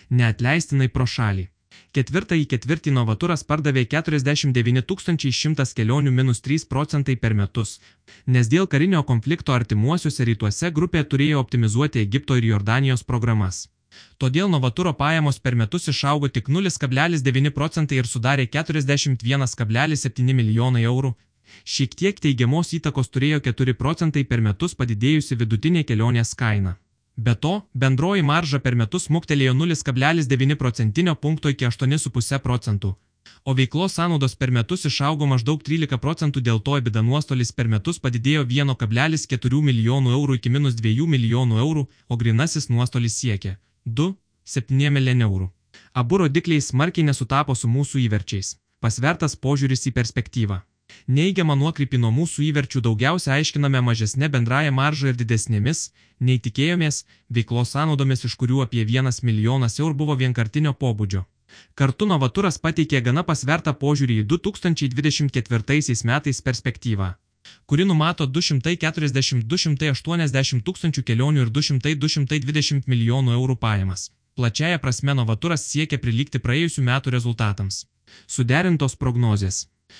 neatleistinai pro šalį. Ketvirtąjį ketvirtį Novaturas pardavė 49 100 kelionių -3% per metus, nes dėl karinio konflikto artimuosiuose rytuose grupė turėjo optimizuoti Egipto ir Jordanijos programas. Todėl Novaturo pajamos per metus išaugo tik 0,9% ir sudarė 41,7 milijonai eurų. Šiek tiek teigiamos įtakos turėjo 4% per metus padidėjusi vidutinė kelionės kaina. Be to, bendroji marža per metus smuktelėjo 0,9 procentinio punkto iki 8,5 procentų, o veiklos sąnaudos per metus išaugo maždaug 13%, dėl to EBITDA nuostolis per metus padidėjo 1,4 milijonų eurų iki -2 milijonų eurų, o grynasis nuostolis siekė 2,7 milijonų eurų. Abu rodikliai smarkiai nesutapo su mūsų įverčiais. Pasvertas požiūris į perspektyvą. Neigiamą nuokrypį nuo mūsų įverčių daugiausia aiškiname mažesnė bendraja marža ir didesnėmis, nei tikėjomės, veiklos sąnaudomis, iš kurių apie 1 milijonas eurų buvo vienkartinio pobūdžio. Kartu Novaturas pateikė gana pasvertą požiūrį į 2024 metais perspektyvą, kuri numato 240–280 tūkstančių kelionių ir 200–220 milijonų eurų pajamas. Plačiaja prasme Novaturas siekia prilygti praėjusių metų rezultatams. Suderintos prognozės.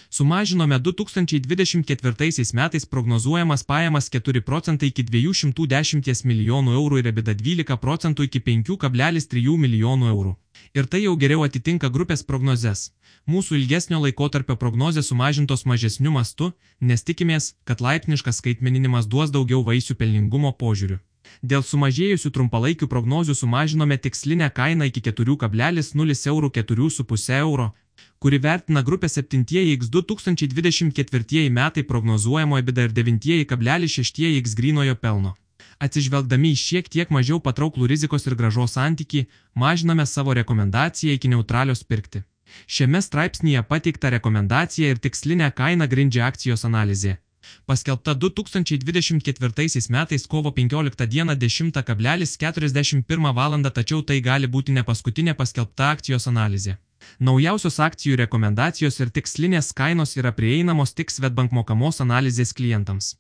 Sumažinome 2024 metais prognozuojamas pajamas 4% iki 210 milijonų eurų ir EBITDA 12% iki 5,3 milijonų eurų. Ir tai jau geriau atitinka grupės prognozes. Mūsų ilgesnio laikotarpio prognozės sumažintos mažesniu mastu, nes tikimės, kad laipsniškas skaitmeninimas duos daugiau vaisių pelningumo požiūriu. Dėl sumažėjusių trumpalaikių prognozių sumažinome tikslinę kainą iki 4,0 eurų 4,5 euro, kuri vertina grupę 7x 2024 metai prognozuojamo EBITDA ir 9,6x grynojo pelno. Atsižvelgdami į šiek tiek mažiau patrauklų rizikos ir grąžos santykį, mažiname savo rekomendaciją iki neutralios pirkti. Šiame straipsnyje pateikta rekomendacija ir tikslinę kainą grindžia akcijos analizė. Paskelbta 2024 metais kovo 15 dieną 10,41 val. Tačiau tai gali būti ne paskutinė paskelbta akcijos analizė. Naujausios akcijų rekomendacijos ir tikslinės kainos yra prieinamos tik Swedbank mokamos analizės klientams.